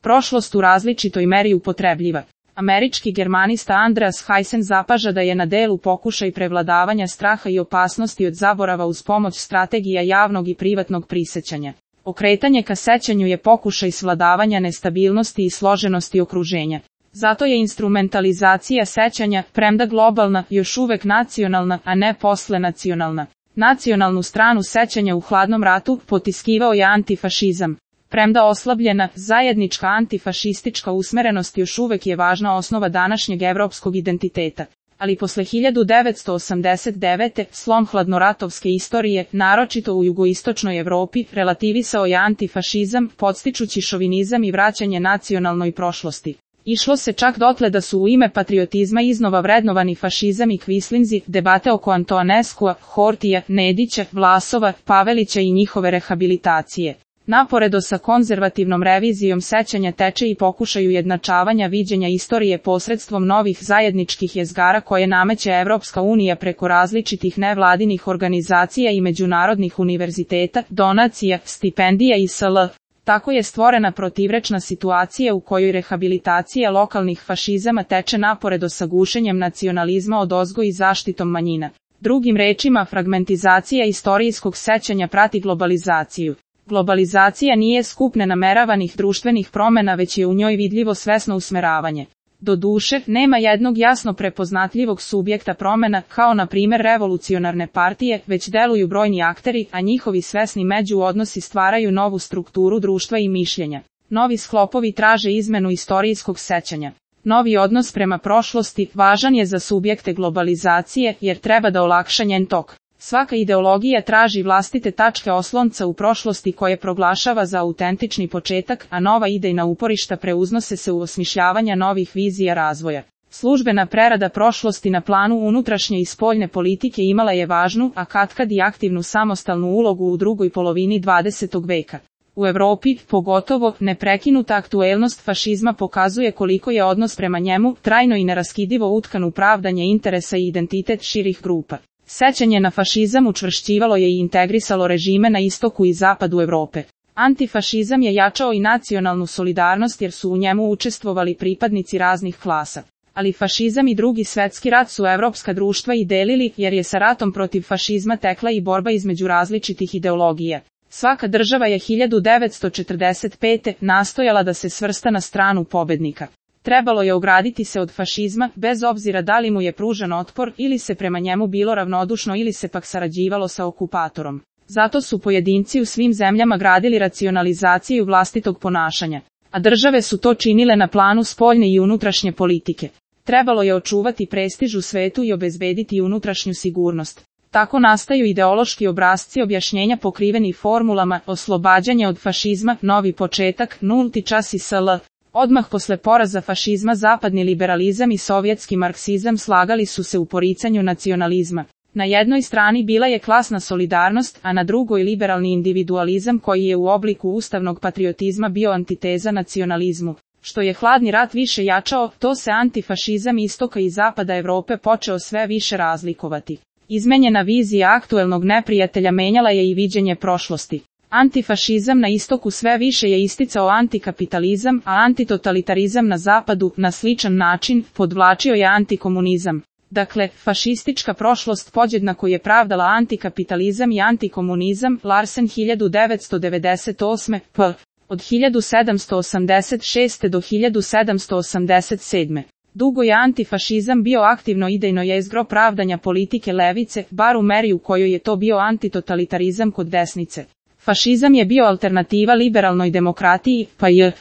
prošlost u različitoj meri upotrebljiva. Američki germanista Andreas Haysen zapaža da je na delu pokušaj prevladavanja straha i opasnosti od zaborava uz pomoć strategija javnog i privatnog prisećanja. Okretanje ka sećanju je pokušaj svladavanja nestabilnosti i složenosti okruženja. Zato je instrumentalizacija sećanja, premda globalna, još uvek nacionalna, a ne poslenacionalna. Nacionalnu stranu sećanja u hladnom ratu potiskivao je antifašizam. Premda oslabljena, zajednička antifašistička usmerenost još uvek je važna osnova današnjeg evropskog identiteta. Ali posle 1989. slom hladnoratovske istorije, naročito u jugoistočnoj Evropi, relativisao je antifašizam, podstičući šovinizam i vraćanje nacionalnoj prošlosti. Išlo se čak dotle da su u ime patriotizma iznova vrednovani fašizam i kvislinzi, debate oko Antoaneskua, Hortija, Nedića, Vlasova, Pavelića i njihove rehabilitacije. Naporedo sa konzervativnom revizijom sećanja teče i pokušaj ujednačavanja viđenja istorije posredstvom novih zajedničkih jezgara koje nameće Evropska unija preko različitih nevladinih organizacija i međunarodnih univerziteta, donacija, stipendija i sl. Tako je stvorena protivrečna situacija u kojoj rehabilitacija lokalnih fašizama teče naporedo sa gušenjem nacionalizma odozgo i zaštitom manjina. Drugim rečima, fragmentizacija istorijskog sećanja prati globalizaciju. Globalizacija nije skup nenameravanih društvenih promena, već je u njoj vidljivo svesno usmeravanje. Doduše, nema jednog jasno prepoznatljivog subjekta promena, kao na primjer revolucionarne partije, već deluju brojni akteri, a njihovi svesni međuodnosi stvaraju novu strukturu društva i mišljenja. Novi sklopovi traže izmenu istorijskog sećanja. Novi odnos prema prošlosti važan je za subjekte globalizacije, jer treba da olakša njen tok. Svaka ideologija traži vlastite tačke oslonca u prošlosti koje proglašava za autentični početak, a nova idejna uporišta preuznose se u osmišljavanja novih vizija razvoja. Službena prerada prošlosti na planu unutrašnje i spoljne politike imala je važnu, a katkad i aktivnu samostalnu ulogu u drugoj polovini 20. veka. U Evropi, pogotovo, neprekinuta aktuelnost fašizma pokazuje koliko je odnos prema njemu trajno i neraskidivo utkan u pravdanje interesa i identitet širih grupa. Sećanje na fašizam učvršćivalo je i integrisalo režime na istoku i zapadu Evrope. Antifašizam je jačao i nacionalnu solidarnost jer su u njemu učestvovali pripadnici raznih klasa. Ali fašizam i Drugi svetski rat su evropska društva i delili, jer je sa ratom protiv fašizma tekla i borba između različitih ideologija. Svaka država je 1945. nastojala da se svrsta na stranu pobednika. Trebalo je ograditi se od fašizma, bez obzira da li mu je pružan otpor ili se prema njemu bilo ravnodušno ili se pak sarađivalo sa okupatorom. Zato su pojedinci u svim zemljama gradili racionalizaciju vlastitog ponašanja, a države su to činile na planu spoljne i unutrašnje politike. Trebalo je očuvati prestiž u svetu i obezbediti unutrašnju sigurnost. Tako nastaju ideološki obrasci objašnjenja pokriveni formulama, oslobađanje od fašizma, novi početak, nulti čas i sl. Odmah posle poraza fašizma zapadni liberalizam i sovjetski marksizam slagali su se u poricanju nacionalizma. Na jednoj strani bila je klasna solidarnost, a na drugoj liberalni individualizam koji je u obliku ustavnog patriotizma bio antiteza nacionalizmu. Što je hladni rat više jačao, to se antifašizam istoka i zapada Evrope počeo sve više razlikovati. Izmenjena vizija aktuelnog neprijatelja menjala je i viđenje prošlosti. Antifašizam na istoku sve više je isticao antikapitalizam, a antitotalitarizam na zapadu, na sličan način, podvlačio je antikomunizam. Dakle, fašistička prošlost podjednako je pravdala antikapitalizam i antikomunizam, Larsen 1998. p. Od 1786. do 1787. Dugo je antifašizam bio aktivno idejno jezgro pravdanja politike levice, bar u meri u kojoj je to bio antitotalitarizam kod desnice. Fašizam je bio alternativa liberalnoj demokratiji, pa je